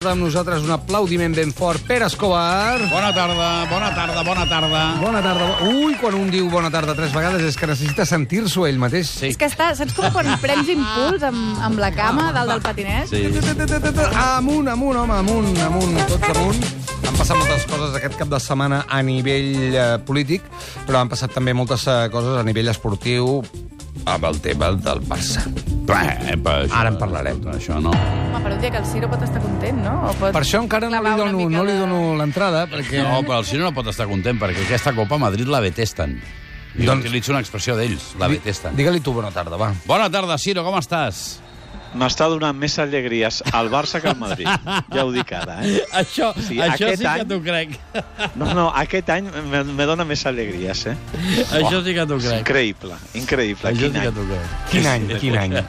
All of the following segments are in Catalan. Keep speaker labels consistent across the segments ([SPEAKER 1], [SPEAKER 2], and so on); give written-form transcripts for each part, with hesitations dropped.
[SPEAKER 1] Amb nosaltres un aplaudiment ben fort. Pere Escobar.
[SPEAKER 2] Bona tarda, bona tarda, bona tarda.
[SPEAKER 1] Bona tarda. Ui, quan un diu bona tarda 3 vegades és que necessita sentir-s'ho ell mateix.
[SPEAKER 3] Sí. És que està, saps com quan prens impuls amb la cama dalt del patinet?
[SPEAKER 2] Sí.
[SPEAKER 1] Amunt, home, amunt, tots amunt. Han passat moltes coses aquest cap de setmana a nivell polític, però han passat també moltes coses a nivell esportiu amb el tema del Barça. Ara en parlarem.
[SPEAKER 2] Això no.
[SPEAKER 3] Home, per un dia que el Ciro pot estar content, no? O pot
[SPEAKER 1] Per això encara no li dono l'entrada, perquè...
[SPEAKER 2] No, però el Ciro no pot estar content, perquè aquesta Copa a Madrid la detesten. Jo utilitzo una expressió d'ells, la detesten.
[SPEAKER 1] Digue-li tu bona tarda, va.
[SPEAKER 2] Bona tarda, Ciro, com estàs?
[SPEAKER 4] M'està donant més alegries al Barça que al Madrid. Ja ho dic ara, eh?
[SPEAKER 2] Això sí que t'ho crec.
[SPEAKER 4] No, aquest any me dona més alegries, eh?
[SPEAKER 2] Això sí que t'ho crec.
[SPEAKER 4] Increïble.
[SPEAKER 2] Això sí que t'ho crec.
[SPEAKER 1] Quin any?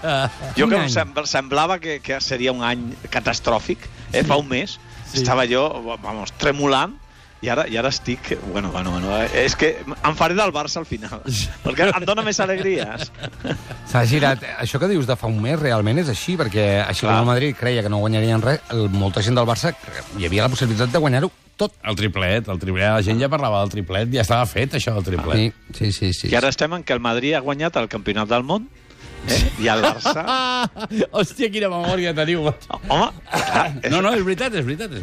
[SPEAKER 4] Jo que semblava que seria un any catastròfic, fa un mes. Estava jo, tremolant, i ara estic... Bueno, és que em faré del Barça al final, perquè em dona més alegries.
[SPEAKER 1] S'ha girat. Això que dius de fa un mes realment és així, perquè així com el Madrid creia que no guanyarien res, molta gent del Barça hi havia la possibilitat de guanyar-ho tot.
[SPEAKER 2] El triplet, la gent ja parlava del triplet, ja estava fet això del triplet.
[SPEAKER 1] Sí.
[SPEAKER 4] I ara estem en què el Madrid ha guanyat el Campionat del Món, i el Barça...
[SPEAKER 2] Hòstia, quina memòria teniu.
[SPEAKER 4] Home, clar,
[SPEAKER 2] No, és veritat.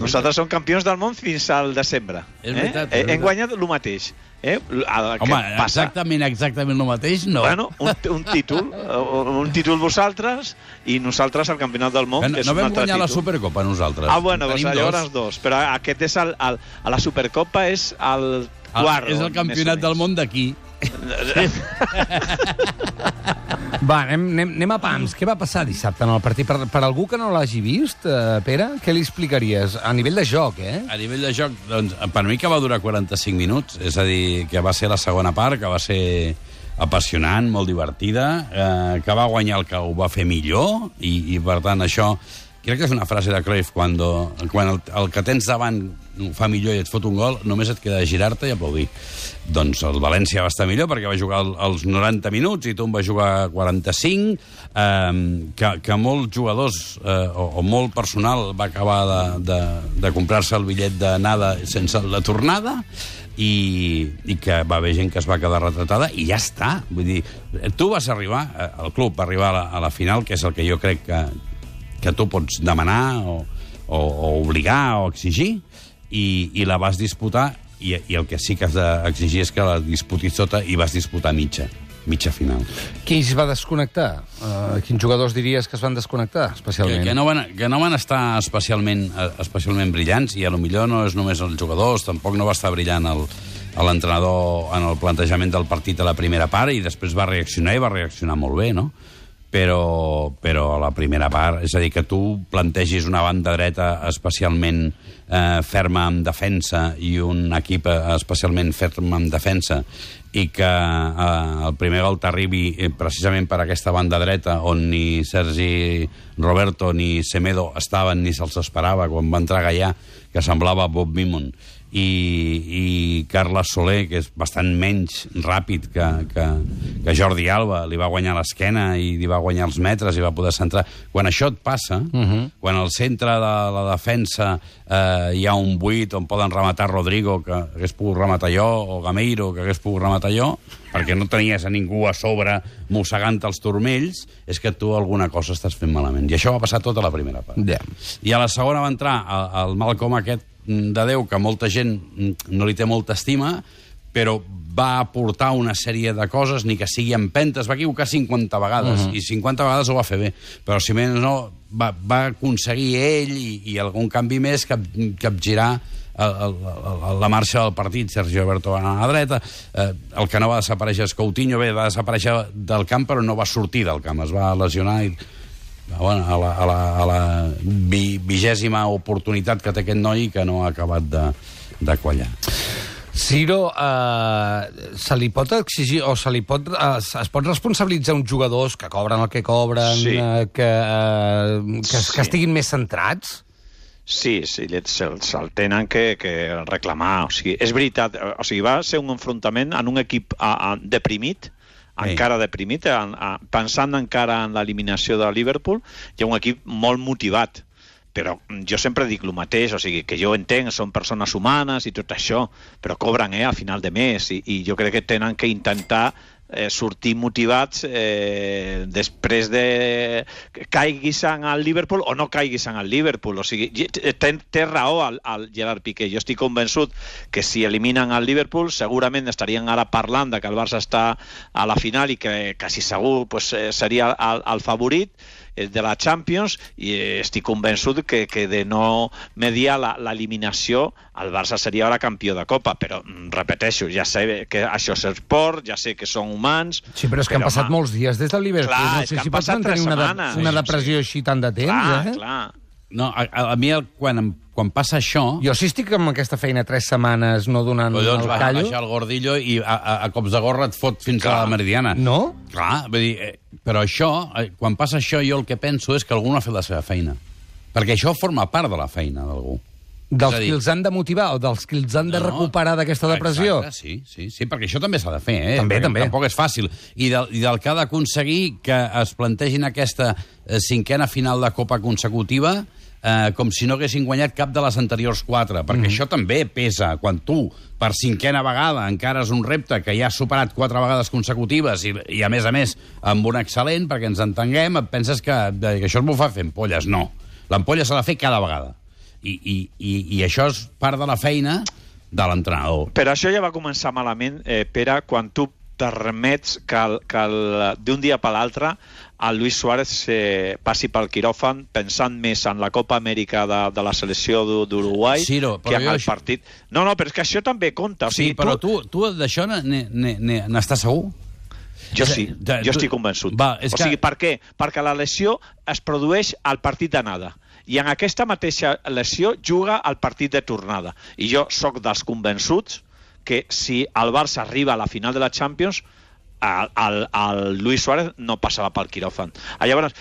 [SPEAKER 4] Nosaltres som campions del món fins al desembre.
[SPEAKER 2] És veritat.
[SPEAKER 4] Hem guanyat el mateix.
[SPEAKER 2] Home, exactament el mateix, no.
[SPEAKER 4] Bueno, un títol vosaltres i nosaltres al Campionat del Món, que és un altre títol.
[SPEAKER 2] No vam guanyar la Supercopa, nosaltres.
[SPEAKER 4] Bueno, doncs llavors dos. Però aquest és a la Supercopa és el quart.
[SPEAKER 2] És el Campionat del Món d'aquí.
[SPEAKER 1] Va, anem a pams. Què va passar dissabte en el partit? Per algú que no l'hagi vist, Pere, què li explicaries? A nivell de joc,
[SPEAKER 2] A nivell de joc, doncs, per mi que va durar 45 minuts, és a dir, que va ser la segona part, que va ser apassionant, molt divertida, que va guanyar el que ho va fer millor, i per tant això... Crec que és una frase de Cruyff, quan el que tens davant fa millor i et fot un gol, només et queda girar-te i aplaudir. Doncs el València va estar millor perquè va jugar els 90 minuts i tu en vas jugar 45, que molts jugadors o molt personal va acabar de comprar-se el bitllet d'anada sense la tornada, i que va haver gent que es va quedar retratada i ja està. Vull dir, tu vas arribar, el club va arribar a la final, que és el que jo crec que tu pots demanar o obligar o exigir, i la vas disputar, i el que sí que has d'exigir és que la disputis tota, i vas disputar mitja final.
[SPEAKER 1] Qui es va desconnectar? Quins jugadors diries que es van desconnectar, especialment?
[SPEAKER 2] Que no van estar especialment brillants, i a lo millor no és només els jugadors, tampoc no va estar brillant l'entrenador en el plantejament del partit a la primera part, i després va reaccionar, i va reaccionar molt bé, no? Però a la primera part, és a dir, que tu plantegis una banda dreta especialment ferma en defensa i un equip especialment ferm en defensa, i que el primer gol t'arribi precisament per aquesta banda dreta, on ni Sergi Roberto ni Semedo estaven ni se'ls esperava, quan va entrar Gaià, que semblava Bob Beamon, i Carles Soler, que és bastant menys ràpid que Jordi Alba, li va guanyar l'esquena i li va guanyar els metres i va poder centrar. Quan això et passa, quan al centre de la defensa hi ha un buit on poden rematar Rodrigo, que hagués pogut rematar jo, o Gameiro, que hagués pogut rematar jo, perquè no tenies a ningú a sobre mossegant els turmells, és que tu alguna cosa estàs fent malament. I això va passar tota la primera part. I a la segona va entrar el Malcom aquest de Déu, que molta gent no li té molta estima, però va aportar una sèrie de coses, ni que sigui empentes, va equivocar 50 vegades, i 50 vegades ho va fer bé, però si més no, va aconseguir ell i algun canvi més capgirar la marxa del partit. Sergi Roberto va anar a la dreta, el que no va desaparèixer és Coutinho, va desaparèixer del camp, però no va sortir del camp, es va lesionar i... a la 20ª oportunitat que té aquest noi, que no ha acabat de quallar.
[SPEAKER 1] Ciro, se li pot exigir o es pot responsabilitzar uns jugadors que cobren el que cobren, que estiguin més centrats?
[SPEAKER 4] Sí, se'l tenen que reclamar. O sigui, és veritat, va ser un enfrontament en un equip deprimit, encara deprimit, pensant encara en l'eliminació de Liverpool, hi ha un equip molt motivat, però jo sempre dic el mateix, o sigui, que jo entenc, són persones humanes i tot això, però cobren a final de mes i jo crec que tenen que intentar sortir motivats després de caiguis en el Liverpool o no caiguis en el Liverpool. O sigui, té raó el Gerard Piqué. Jo estic convençut que si eliminen el Liverpool segurament estarien ara parlant de que el Barça està a la final i que quasi segur pues, seria el favorit de la Champions, i estic convençut que de no mediar l'eliminació el Barça seria ara campió de Copa, però repeteixo, ja sé que això és esport, ja sé que són humans...
[SPEAKER 1] Sí, però és que han passat molts dies des del Liverpool.
[SPEAKER 4] Clar,
[SPEAKER 1] no sé si pots mantenir una depressió així tant de temps.
[SPEAKER 4] Clar, clar.
[SPEAKER 2] No, a mi quan passa això...
[SPEAKER 1] Jo si estic amb aquesta feina 3 setmanes no donant el callo...
[SPEAKER 2] Vas baixar el gordillo i a cops de gorra et fot fins a la Meridiana.
[SPEAKER 1] No?
[SPEAKER 2] Clar, vull dir, però això, quan passa això, jo el que penso és que algú no ha fet la seva feina. Perquè això forma part de la feina d'algú.
[SPEAKER 1] Dels que els han de motivar o dels que els han de recuperar d'aquesta depressió?
[SPEAKER 2] Exacte, sí, perquè això també s'ha de fer,
[SPEAKER 1] També.
[SPEAKER 2] Tampoc és fàcil. I del que ha d'aconseguir que es plantegin aquesta 5a final de Copa consecutiva com si no haguessin guanyat cap de les anteriors 4, perquè això també pesa. Quan tu, per 5a vegada, encara és un repte que ja has superat 4 vegades consecutives i a més, amb un excel·lent, perquè ens entenguem, et penses que això es m'ho fa fer ampolles. No. L'ampolla s'ha de fer cada vegada. I això és part de la feina de l'entrenador.
[SPEAKER 4] Però això ja va començar malament, Pere, quan tu permets que d'un dia per l'altre el Luis Suárez passi pel quiròfan pensant més en la Copa Amèrica de la selecció d'Uruguai que en el partit. No, però és que això també compta. O sigui,
[SPEAKER 2] sí, però tu d'això n'estàs segur?
[SPEAKER 4] Jo sí, jo estic convençut. O sigui, per què? Perquè la lesió es produeix al partit d'anada i en aquesta mateixa lesió juga al partit de tornada. I jo sóc dels convençuts que si el Barça arriba a la final de la Champions, el Luis Suárez no passava pel quiròfan. Llavors,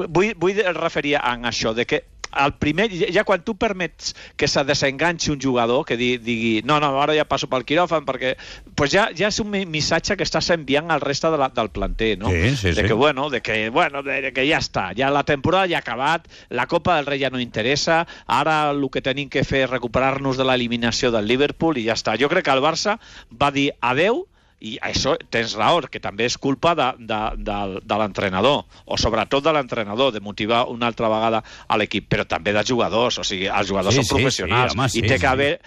[SPEAKER 4] vull referir a això, de que el primer, ja quan tu permets que se desenganxi un jugador, que digui no, ara ja passo pel quiròfan, perquè pues ja és un missatge que estàs enviant al reste del planter, no?
[SPEAKER 2] Sí.
[SPEAKER 4] De que ja està, ja la temporada ja ha acabat, la Copa del Rei ja no interessa, ara el que tenim que fer és recuperar-nos de l'eliminació del Liverpool i ja està. Jo crec que el Barça va dir adeu. I això tens raó, que també és culpa de l'entrenador, o sobretot de l'entrenador, de motivar una altra vegada a l'equip, però també dels jugadors. O sigui, els jugadors són professionals. I té que haver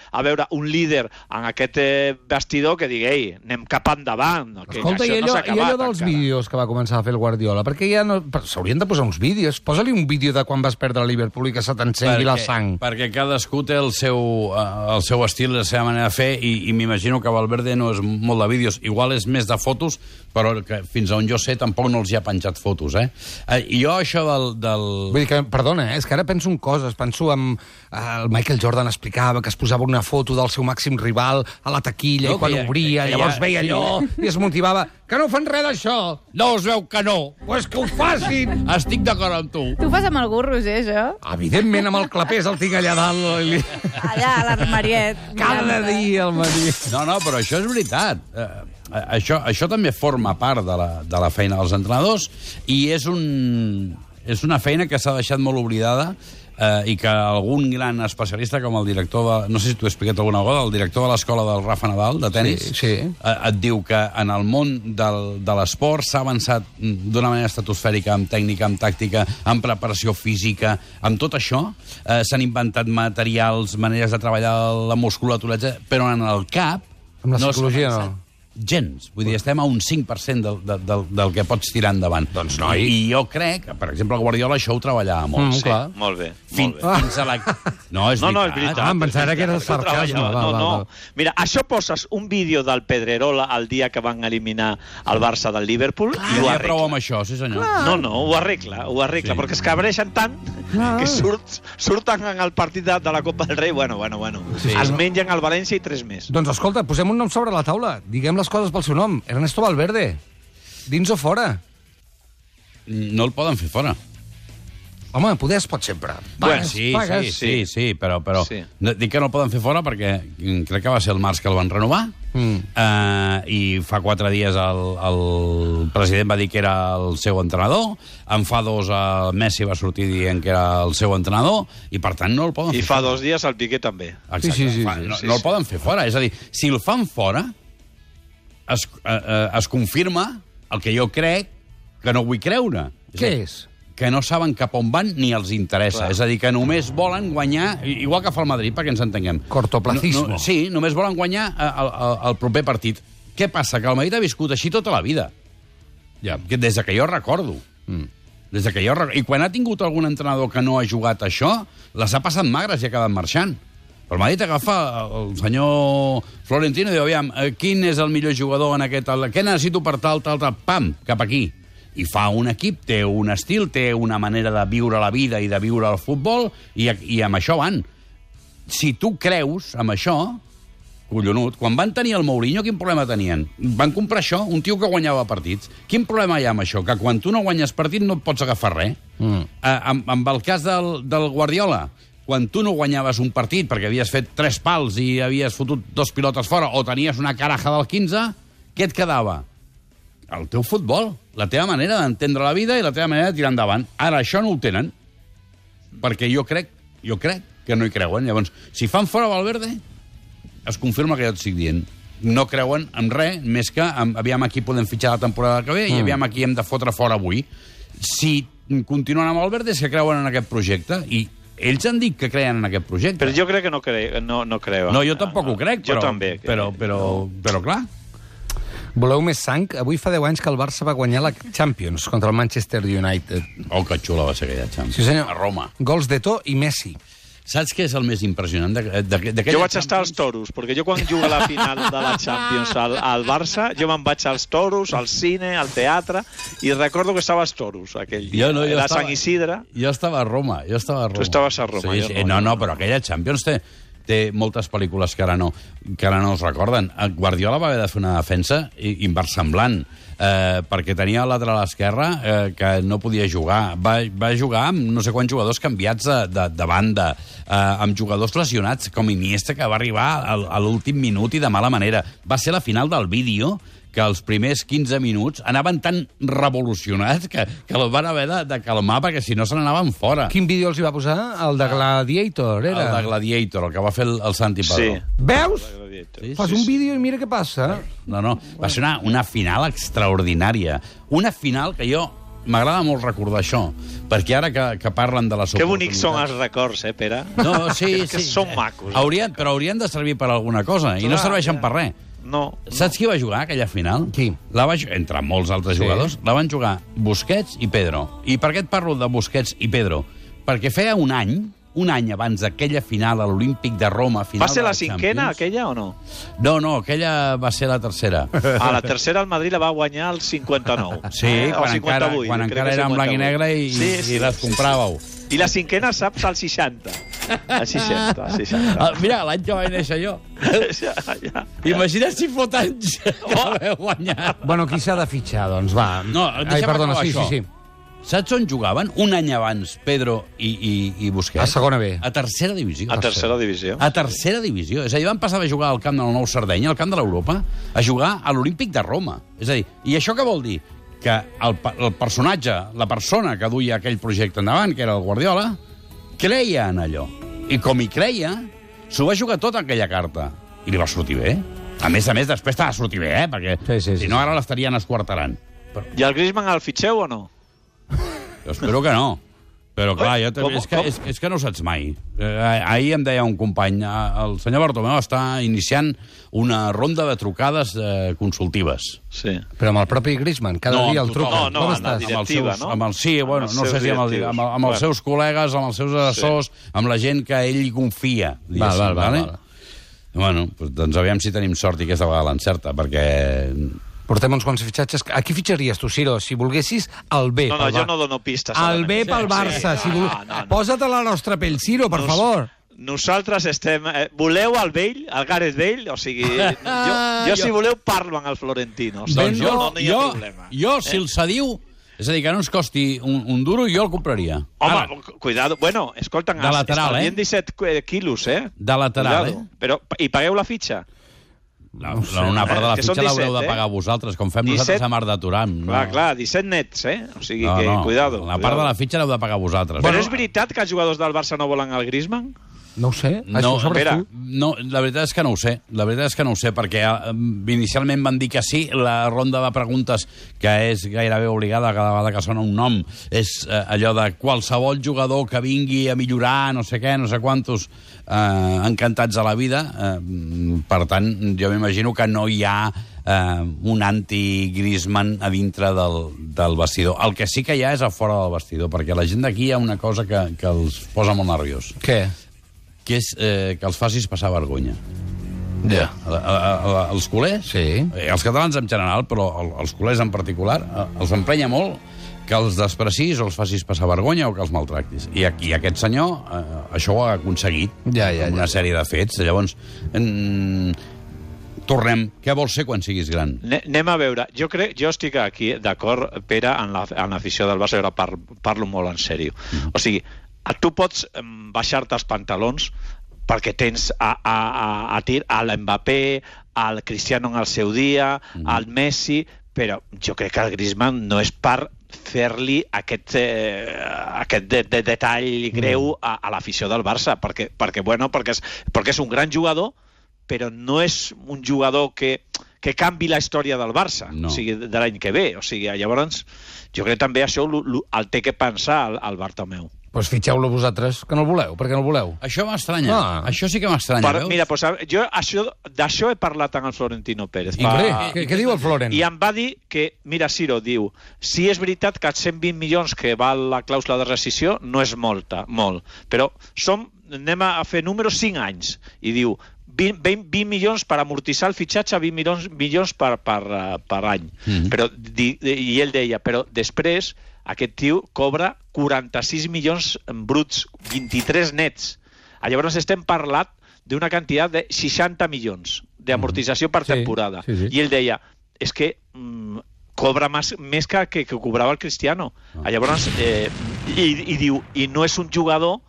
[SPEAKER 4] un líder en aquest vestidor que digui, ei, anem cap endavant.
[SPEAKER 1] Escolta, i allò dels vídeos que va començar a fer el Guardiola, perquè ja no... S'haurien de posar uns vídeos. Posa-li un vídeo de quan vas perdre el Liverpool i que se t'encengui la sang.
[SPEAKER 2] Perquè cadascú té el seu estil, la seva manera de fer, i m'imagino que Valverde no és molt de vídeos. Igual és més de fotos, però que fins on jo sé tampoc no els hi ha penjat fotos, I jo això del...
[SPEAKER 1] Vull dir que, perdona, és que ara penso en coses. Penso en... El Michael Jordan explicava que es posava una foto del seu màxim rival a la taquilla i quan obria, llavors veia allò i es motivava. Que no fan res d'això!
[SPEAKER 2] No us veu que no!
[SPEAKER 1] Pues que ho facin!
[SPEAKER 2] Estic d'acord amb tu.
[SPEAKER 3] Tu ho fas amb algú, Roger, això?
[SPEAKER 1] Evidentment, amb el clapés el tinc allà dalt.
[SPEAKER 3] Allà, a l'armariet.
[SPEAKER 1] Cada dia al matí.
[SPEAKER 2] No, però això és veritat. Això també forma part de la feina dels entrenadors i és una feina que s'ha deixat molt oblidada i que algun gran especialista com el director de... No sé si t'ho he explicat alguna vegada, el director de l'escola del Rafa Nadal, de tenis, et diu que en el món de l'esport s'ha avançat d'una manera estratosfèrica, amb tècnica, amb tàctica, amb preparació física, amb tot això. S'han inventat materials, maneres de treballar la musculatura, però en el cap...
[SPEAKER 1] Amb la psicologia no.
[SPEAKER 2] Gens. Vull dir, estem a un 5% del que pots tirar endavant.
[SPEAKER 1] Doncs no.
[SPEAKER 2] I jo crec que, per exemple, el Guardiola això ho treballava molt.
[SPEAKER 4] Sí, molt bé.
[SPEAKER 2] Fins a la... No, és veritat.
[SPEAKER 1] Em pensava que era el sarcasme.
[SPEAKER 4] No. Mira, això poses un vídeo del Pedrerola el dia que van eliminar el Barça del Liverpool i ho arregla.
[SPEAKER 2] Prou amb això, sí senyor.
[SPEAKER 4] No, ho arregla, perquè es cabreixen tant que surten en el partit de la Copa del Rei, bueno. Es mengen el València i 3 més.
[SPEAKER 1] Doncs escolta, posem un nom sobre la taula. Diguem les coses pel seu nom. Ernesto Valverde. Dins o fora?
[SPEAKER 2] No el poden fer fora.
[SPEAKER 1] Home, poder es pot sempre.
[SPEAKER 4] Bueno,
[SPEAKER 2] sí, però
[SPEAKER 4] Sí.
[SPEAKER 2] dic que no el poden fer fora perquè crec que va ser el març que el van renovar i fa 4 dies el president va dir que era el seu entrenador, en fa 2 el Messi va sortir dient que era el seu entrenador i per tant no el poden
[SPEAKER 4] I
[SPEAKER 2] fer
[SPEAKER 4] fa
[SPEAKER 2] fora.
[SPEAKER 4] 2 dies el Piqué també.
[SPEAKER 2] Exacte.
[SPEAKER 1] Sí.
[SPEAKER 2] No el poden fer fora. És a dir, si el fan fora, es confirma el que jo crec que no vull creure.
[SPEAKER 1] Què és?
[SPEAKER 2] Que no saben cap on van ni els interessa.
[SPEAKER 4] Clar.
[SPEAKER 2] És a dir, que només volen guanyar, igual que fa el Madrid, perquè ens entenguem.
[SPEAKER 1] Cortoplacismo.
[SPEAKER 2] Sí, només volen guanyar el proper partit. Què passa? Que el Madrid ha viscut així tota la vida. Ja. Des de que jo recordo. Des de que jo recordo. I quan ha tingut algun entrenador que no ha jugat això, les ha passat magres i ha quedat marxant. Però el Madrid agafa el senyor Florentino i diu, aviam, quin és el millor jugador en aquest... Què necessito per tal, pam, cap aquí. I fa un equip, té un estil, té una manera de viure la vida i de viure el futbol, i amb això van. Si tu creus amb això, collonut, quan van tenir el Mourinho, quin problema tenien? Van comprar això, un tio que guanyava partits. Quin problema hi ha amb això? Que quan tu no guanyes partit no et pots agafar res. Amb el cas del Guardiola, quan tu no guanyaves un partit perquè havies fet 3 pals i havies fotut 2 pilotes fora o tenies una caraja del 15, què et quedava? El teu futbol, la teva manera d'entendre la vida i la teva manera de tirar endavant. Ara, això no ho tenen, perquè jo crec que no hi creuen. Llavors, si fan fora Valverde, es confirma que jo et estic dient. No creuen en res, més que aviam aquí podem fitxar la temporada que ve i aviam aquí hem de fotre fora avui. Si continuen amb Valverde és que creuen en aquest projecte i ells han dit que creien en aquest projecte.
[SPEAKER 4] Però jo crec que no creuen.
[SPEAKER 2] No, jo tampoc ho crec,
[SPEAKER 4] Jo també.
[SPEAKER 2] però clar.
[SPEAKER 1] Voleu més sang? Avui fa 10 anys que el Barça va guanyar la Champions contra el Manchester United.
[SPEAKER 2] Oh, que xula va ser aquella Champions.
[SPEAKER 1] Sí, senyor.
[SPEAKER 2] A Roma.
[SPEAKER 1] Gols d'Eto'o i Messi.
[SPEAKER 2] Saps què és el més impressionant d'aquella
[SPEAKER 4] Jo vaig estar als toros, perquè jo quan jugo a la final de la Champions al Barça, jo me'n vaig als toros, al cine, al teatre, i recordo que estava als toros aquell dia. Era Sant Isidre.
[SPEAKER 2] Jo estava a Roma.
[SPEAKER 4] Tu estaves a Roma.
[SPEAKER 2] Sí, no, però aquella Champions té moltes pel·lícules que ara no es recorden. Guardiola va haver de fer una defensa inversemblant, perquè tenia el lateral esquerre que no podia jugar. Va jugar amb no sé quants jugadors canviats de banda, amb jugadors lesionats, com Iniesta, que va arribar a l'últim minut i de mala manera. Va ser la final del vídeo, que els primers 15 minuts anaven tan revolucionats que el van haver de calmar perquè si no se n'anaven fora.
[SPEAKER 1] Quin vídeo els hi va posar? El de Gladiator, era?
[SPEAKER 2] El de Gladiator, el que va fer el Santi Padró.
[SPEAKER 4] Sí.
[SPEAKER 1] Veus?
[SPEAKER 2] Sí,
[SPEAKER 1] Fas un vídeo i mira què passa.
[SPEAKER 2] No, va ser una final extraordinària. Una final que jo m'agrada molt recordar això, perquè ara que parlen de les
[SPEAKER 4] Que bonics són els records, Pere?
[SPEAKER 2] No, sí.
[SPEAKER 4] Que són macos.
[SPEAKER 2] Però haurien de servir per alguna cosa, i no serveixen per res.
[SPEAKER 4] No.
[SPEAKER 2] Saps qui va jugar aquella final?
[SPEAKER 1] Qui?
[SPEAKER 2] Entre molts altres jugadors, la van jugar Busquets i Pedro. I per què et parlo de Busquets i Pedro? Perquè feia un any abans d'aquella final a l'Olímpic de Roma...
[SPEAKER 4] Va ser la cinquena, aquella, o no?
[SPEAKER 2] No, aquella va ser la tercera.
[SPEAKER 4] La tercera el Madrid la va guanyar el 59.
[SPEAKER 2] Sí, quan encara era en blanc i negre i les compràveu.
[SPEAKER 4] I la cinquena, saps, al 60. Al 60.
[SPEAKER 2] Mira, l'any que vaig néixer jo.
[SPEAKER 4] Ja.
[SPEAKER 2] Imagina't si fot anys que l'heu guanyat.
[SPEAKER 1] Bueno, qui s'ha de fitxar, doncs, va.
[SPEAKER 2] No,
[SPEAKER 1] perdona, sí.
[SPEAKER 2] Saps on jugaven un any abans Pedro i Busquets?
[SPEAKER 1] A segona B.
[SPEAKER 2] A tercera divisió.
[SPEAKER 4] A tercera divisió.
[SPEAKER 2] A tercera divisió. És a dir, van passar de jugar al camp del Nou Sardenya, al camp de l'Europa, a jugar a l'Olímpic de Roma. És a dir, i això què vol dir? Que el personatge, la persona que duia aquell projecte endavant, que era el Guardiola, creia en allò. I com hi creia, s'ho va jugar tot aquella carta. I li va sortir bé. A més, després t'ha de sortir bé, perquè si no ara l'estarien esquarterant.
[SPEAKER 4] I el Griezmann el fitxeu o no?
[SPEAKER 2] Jo espero que no. Però clar, és que no ho saps mai. Ahir em deia un company, el senyor Bartomeu està iniciant una ronda de trucades consultives.
[SPEAKER 4] Sí.
[SPEAKER 1] Però amb el propi Griezmann, cada dia el truca.
[SPEAKER 4] No,
[SPEAKER 1] com estàs?
[SPEAKER 4] directiva, no?
[SPEAKER 2] No sé si amb els seus col·legues, amb els seus assessors, amb la gent que ell hi confia.
[SPEAKER 1] Val.
[SPEAKER 2] Bueno, doncs aviam si tenim sort i aquesta vegada l'encerta, perquè...
[SPEAKER 1] Portem uns quants fitxatges. A qui fitxaries tu, Ciro? Si volguessis, el B.
[SPEAKER 4] No, jo no dono pistes.
[SPEAKER 1] El B pel Barça. Posa't a la nostra pell, Ciro, per favor.
[SPEAKER 4] Nosaltres estem... Voleu el Bale, el Gareth Bale? O sigui, jo si voleu parlo amb el Florentino.
[SPEAKER 2] Doncs
[SPEAKER 4] no hi ha problema.
[SPEAKER 2] Jo, si el cediu... És a dir, que no ens costi un duro i jo el compraria.
[SPEAKER 4] Home, cuidado. Bueno, escolta,
[SPEAKER 2] de lateral,
[SPEAKER 4] 17 quilos,
[SPEAKER 2] De lateral,
[SPEAKER 4] cuidado. Però, i pagueu la fitxa?
[SPEAKER 2] Una part de la fitxa l'haureu de pagar vosaltres, com fem 17... nosaltres a Mar de Turam.
[SPEAKER 4] Clar, 17 nets, O sigui que, cuidado.
[SPEAKER 2] La part de la fitxa l'heu de pagar vosaltres.
[SPEAKER 4] Però és veritat que els jugadors del Barça no volen el Griezmann?
[SPEAKER 1] No ho sé, això ho sabràs tu.
[SPEAKER 2] No, la veritat és que no ho sé. La veritat és que no ho sé, perquè inicialment van dir que sí. La ronda de preguntes, que és gairebé obligada cada vegada que sona un nom, és allò de qualsevol jugador que vingui a millorar, no sé què, no sé quantos, encantats a la vida. Per tant, jo m'imagino que no hi ha un anti-Griezmann a dintre del vestidor. El que sí que hi ha és a fora del vestidor, perquè la gent d'aquí hi ha una cosa que els posa molt nerviós.
[SPEAKER 1] Què?
[SPEAKER 2] Que és que els facis passar vergonya.
[SPEAKER 1] Ja.
[SPEAKER 2] Els culers,
[SPEAKER 1] sí.
[SPEAKER 2] Els catalans en general, però els culers en particular, els emprenya molt que els desprecis o els facis passar vergonya o que els maltractis. I aquí aquest senyor això ho ha aconseguit amb una sèrie de fets. Llavors, tornem. Què vols ser quan siguis gran?
[SPEAKER 4] Anem a veure. Jo estic aquí d'acord, Pere, en l'afició del Barça. Jo parlo molt en sèrio. O sigui, tu pots baixar-te els pantalons perquè tens a l'Mbappé, al Cristiano en el seu dia, al Messi, però jo crec que el Griezmann no és per fer-li aquest detall greu a l'afició del Barça, perquè és un gran jugador, però no és un jugador que canvi la història del Barça, o sigui, de l'any que ve. O sigui, llavors, jo crec que també això el té que pensar el Bartomeu.
[SPEAKER 1] Doncs fitxeu-lo vosaltres, que no el voleu. Per què no el voleu?
[SPEAKER 2] Això m'estranya. Això sí que m'estranya, veus?
[SPEAKER 4] Mira, jo d'això he parlat amb el Florentino Pérez.
[SPEAKER 1] Què diu el Florent?
[SPEAKER 4] I em va dir que, mira, Ciro, diu, si és veritat que els 120 milions que val la clàusula de rescissió no és molt, però anem a fer números 5 anys. I diu, 20 milions per amortitzar el fitxatge, 20 milions per any. I ell deia, però després aquest tio cobra 46 milions bruts, 23 nets. Llavors estem parlant d'una quantitat de 60 milions d'amortització per temporada. I ell deia, és que cobra més que cobrava el Cristiano. Llavors, i diu, i no és un jugador,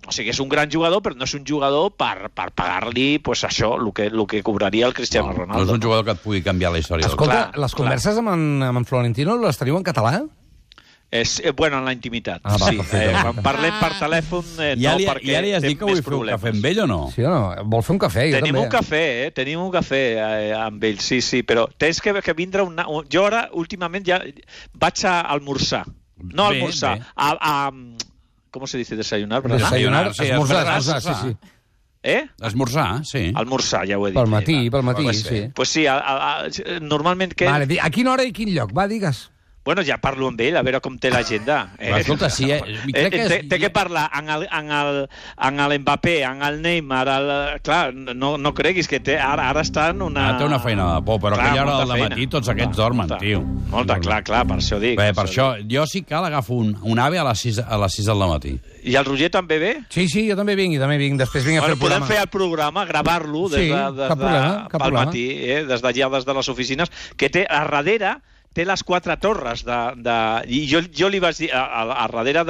[SPEAKER 4] o sigui, és un gran jugador, però no és un jugador per pagar-li això, el que cobraria el Cristiano Ronaldo.
[SPEAKER 2] No és un jugador que et pugui canviar la història.
[SPEAKER 1] Escolta, les converses amb en Florentino les teniu en català?
[SPEAKER 4] Bueno, en la intimitat, sí.
[SPEAKER 1] Quan
[SPEAKER 4] parlem per telèfon,
[SPEAKER 2] no, perquè ja li has dit que vull fer un cafè amb ell o no?
[SPEAKER 1] Sí o no? Vol fer un cafè, jo també.
[SPEAKER 4] Tenim un cafè amb ell, sí, però tens que vindre jo ara, últimament, ja vaig a almorzar. No almorzar, ¿cómo se dice desayunar?
[SPEAKER 1] Desayunar, esmorzar, sí.
[SPEAKER 2] Esmorzar, sí.
[SPEAKER 4] Almorzar, ja ho he dit.
[SPEAKER 1] Pel matí, sí.
[SPEAKER 4] Pues sí, normalment...
[SPEAKER 1] Vale, a quina hora i quin lloc? Va, digues.
[SPEAKER 4] Bueno, ja parlo amb ell, a veure com té l'agenda.
[SPEAKER 2] Escolta, sí,
[SPEAKER 4] té que parlar amb l'Mbappé, amb el Neymar, clar, no creguis que ara està en una...
[SPEAKER 2] Té una feina de por, però aquella hora del matí tots aquests dormen, tio.
[SPEAKER 4] Molta, clar, per això dic.
[SPEAKER 2] Bé, per això, jo sí que agafo un AVE a les 6 del matí.
[SPEAKER 4] I el Roger també ve?
[SPEAKER 1] Sí, jo també vinc, després vinc a fer el programa.
[SPEAKER 4] Podem fer el programa, gravar-lo des del matí, des d'allà, des de les oficines, que té a darrere... té les 4 torres i jo li vaig dir a darrere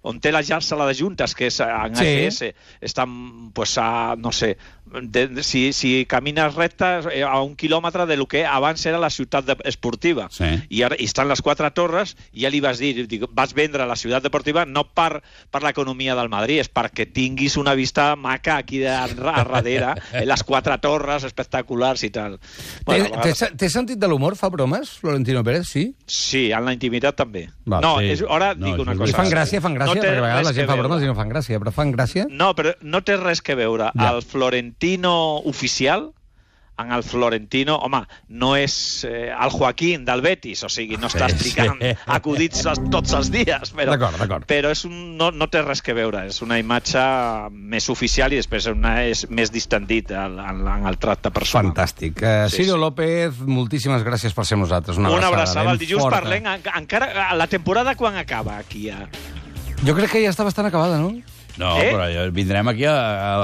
[SPEAKER 4] on té la sala de juntes, que és en AGS, està no sé, si camines recte a 1 quilòmetre del que abans era la ciutat esportiva, i estan les 4 torres, i ja li vas dir, vas vendre la ciutat esportiva no per l'economia del Madrid, és perquè tinguis una vista maca aquí a darrere, les 4 torres espectaculars i tal.
[SPEAKER 1] Té sentit de l'humor? Fa bromes, Florentino Pérez, sí?
[SPEAKER 4] Sí, en la intimitat també. No, ara dic una cosa.
[SPEAKER 1] I fan gràcia, perquè a vegades la gent fa bromes i no fan gràcia, però fan gràcia?
[SPEAKER 4] No, però no té res que veure. El Florentino oficial, en el Florentino, home, no és el Joaquín del Betis, o sigui, no està explicant acudits tots els dies, però no té res que veure, és una imatge més oficial i després és més distendit en el tracte personal.
[SPEAKER 1] Fantàstic. Ciro López, moltíssimes gràcies per ser amb nosaltres.
[SPEAKER 4] Una abraçada. El dilluns parlem, encara la temporada quan acaba aquí?
[SPEAKER 1] Jo crec que ja està bastant acabada, no?
[SPEAKER 2] No, però vindrem aquí a...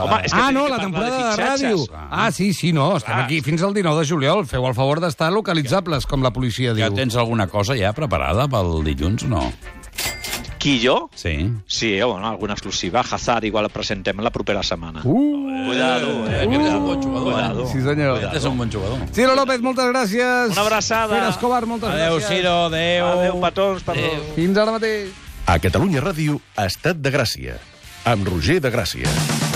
[SPEAKER 4] Home, és que tenim
[SPEAKER 1] no,
[SPEAKER 4] que
[SPEAKER 1] la
[SPEAKER 4] parlar
[SPEAKER 1] temporada de
[SPEAKER 4] fitxatges.
[SPEAKER 1] ràdio. Sí, no, estem aquí fins al 19 de juliol. Feu el favor d'estar localitzables, com la policia diu.
[SPEAKER 2] Ja tens alguna cosa ja preparada pel dilluns o no?
[SPEAKER 4] Qui, jo?
[SPEAKER 2] Sí.
[SPEAKER 4] Sí, bueno, alguna exclusiva. Hazard igual el presentem la propera setmana. Cuidado,
[SPEAKER 2] Aquest és un bon jugador,
[SPEAKER 4] Cuidado.
[SPEAKER 1] Sí, senyor.
[SPEAKER 2] Aquest és un bon jugador.
[SPEAKER 1] Ciro López, moltes gràcies.
[SPEAKER 4] Una abraçada.
[SPEAKER 1] Pere Escobar, moltes
[SPEAKER 2] Adéu,
[SPEAKER 1] gràcies.
[SPEAKER 2] Ciro, adéu.
[SPEAKER 4] Adéu, petons, perdó.
[SPEAKER 1] Fins ara mateix.
[SPEAKER 5] A Catalunya Ràdio, Estat de Gràcia, amb Roger de Gràcia.